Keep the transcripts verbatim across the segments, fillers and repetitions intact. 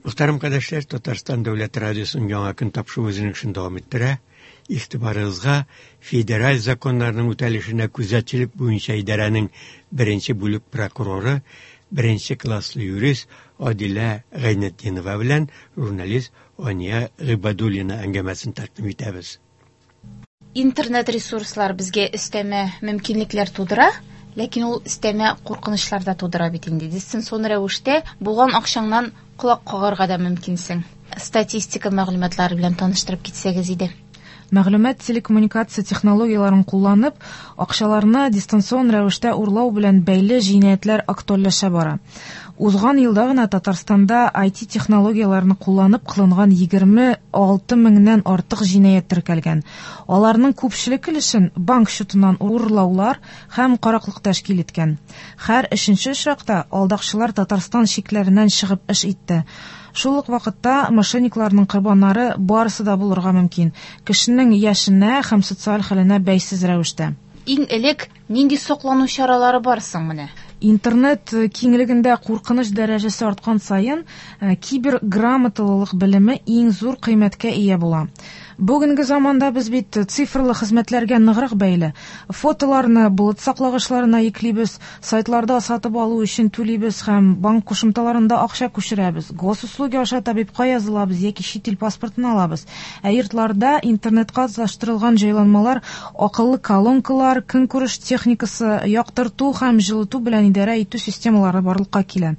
Мөхтәрәм кардәшләр, Татарстан Дәүләт Радиосының Яңа көн тапшыруы үзенең эшен дәвам иттерә. Игътибарыгызга федераль законнарның үтәлешенә күзәтчелек буенча идарәнең беренче бүлек прокуроры, беренче класслы юрист Адилә Гайнетдинова белән журналист Ания Гыйбадуллина әңгәмәсен тәкъдим итәбез. Интернет ресурслар безгә өстәмә мөмкинлекләр тудыра, ләкин ул өстәмә куркынычлар да тудыра бит инде. Дистанцион рәвештә булган акчаңнан колак кагарга да мөмкинсең. Статистика мәгълүматлары белән таныштырып китсәгез иде. Мәгълүмат телекоммуникация технологияләрен кулланып, акчаларны дистанцион рәвештә урлау белән бәйле җинаятьләр актуальләшә бара. Узган елда гына Татарстанда ай ти технологияләрен кулланып кылынган егерме алты меңнән артык җинаять теркәлгән. Аларның күпчелек өлешен банк счетыннан урлаулар һәм караклык тәшкил иткән. Һәр өченче очракта алдакчылар Татарстан чикләреннән чыгып эш итте. Шул ук вакытта мошенникларның корбаннары барысы да булырга мөмкин. Кешенең яшенә һәм социаль хәленә бәйсез рәвештә. Иң элек нинди саклану чаралары бар соң менә? Интернет киңлегендә куркыныч дәрәҗәсе арткан саен, э, киберграмоталылык белеме иң зур кыйммәткә ия була. Бүгенге заманда без бит цифрлы хезмәтләргә ныграк бәйле. Фотоларны болыт саклагычларына йөклибез, сайтларда сатып алу өчен түлибез һәм банк кушымталарында акча күчерәбез. Госуслуги аша табибка язылабыз яки чит ил паспортын алабыз. Ә йортларда интернетка тоташтырылган җайланмалар, акыллы колонкалар, көнкүреш техникасы, яктырту һәм җылыту белән идарә итү системалары барлыкка килә.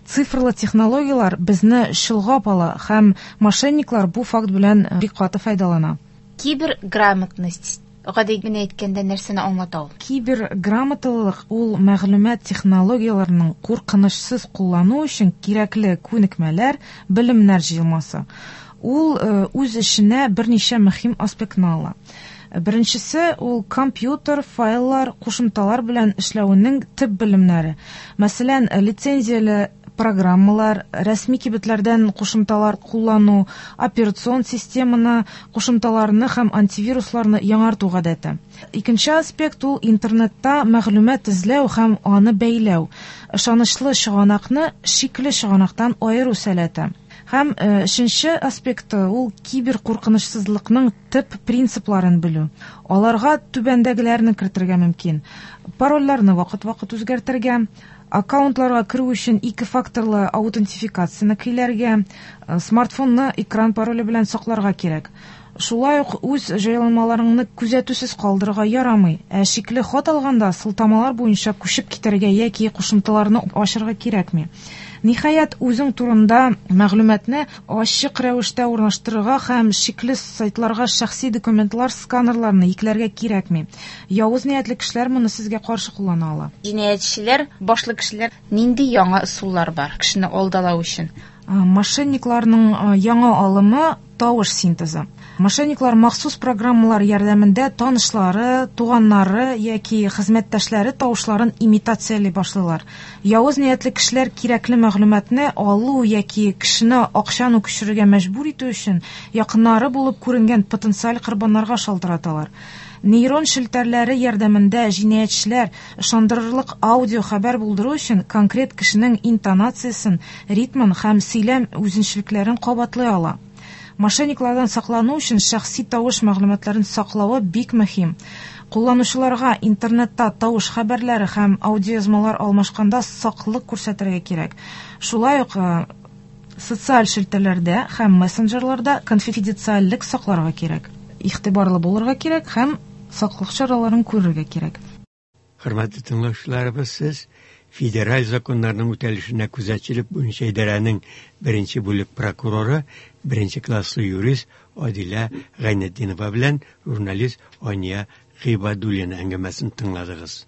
Цифрлы технологияләр безне чолгап ала һәм мошенниклар бу факт белән бик каты файдалана. Киберграмотность гади генә әйткәндә нәрсәне аңлата ул? Киберграмоталылык ул мәгълүмат технологияләренең куркынычсыз куллану өчен кирәкле күнекмәләр, белемнәр җыелмасы. Ул, э, үз эченә берничә мөһим аспектны ала. Беренчесе ул компьютер, файллар, кушымталар белән эшләүнең төп белемнәре. Мәсәлән, лицензияле программалар, рәсми кибетләрдән кушымталар куллану, операцион системаны, кушымталарны һәм антивирусларны яңарту гадәте. Икенче аспект ул интернетта мәгълүмат эзләү һәм аны бәйләү. Ышанычлы чыганакны шикле чыганактан аеру сәләте. Һәм, э, өченче аспекты ул кибер куркынычсызлыкның төп принципларын белү. Аларга түбәндәгеләрне кертергә мөмкин. Парольләрне вакыт-вакыт үзгәртергә, аккаунтларга керү өчен ике факторлы аутентификацияне көйләргә, э, смартфонны экран пароле белән сакларга кирәк. Шулай ук үз җайланмаларыңны күзәтүсез калдырырга ярамый. Ә шикле хат алганда сылтамалар буенча күчеп китәргә яки кушымталарны ачырга кирәкми. Ниһаять, үзең турында мәгълүматны ачык рәвештә урнаштырырга һәм шикле сайтларга шәхси документлар сканерларны йөкләргә кирәкми. Явыз ниятле кешеләр моны сезгә каршы куллана ала. Җинаятьчеләр, башлы кешеләр нинди яңа ысуллар бар кешене алдалау өчен? А, мошенникларның, а, яңа алымы тавыш синтезы. Мошенниклар махсус программалар ярдәмендә танышлары, туганнары яки хезмәттәшләре тавышларын имитацияли башлыйлар. Явыз ниятле кешеләр кирәкле мәгълүматны алу яки кешене акчаны күчерергә мәҗбүр итү өчен якыннары булып күренгән потенциаль корбаннарга шалтыраталар. Нейрон челтәрләре ярдәмендә җинаятьчеләр ышандырырлык аудио хәбәр булдыру өчен конкрет кешенең интонациясен, ритмын һәм сөйләм үзенчәлекләрен кабатлый ала. Мошенниклардан саклану өчен шәхси тавыш мәгълүматларын саклавы бик мөһим. Кулланучыларга интернетта тавыш хәбәрләре һәм аудиоязмалар алмашканда саклык күрсәтергә кирәк. Шулай ук, э, социаль челтәрләрдә һәм мессенджерларда конфиденциальлек сакларга кирәк. Игътибарлы булырга кирәк һәм саклык чараларын күрергә кирәк. Хөрмәтле тыңлаучыларыбыз, сез федераль законнарның үтәлешенә күзәтчелек буенча идарәнең беренче бүлек прокуроры, беренче класслы юрист Адилә Гайнетдинова белән журналист Ания Гыйбадуллина әңгәмәсен тыңладыгыз.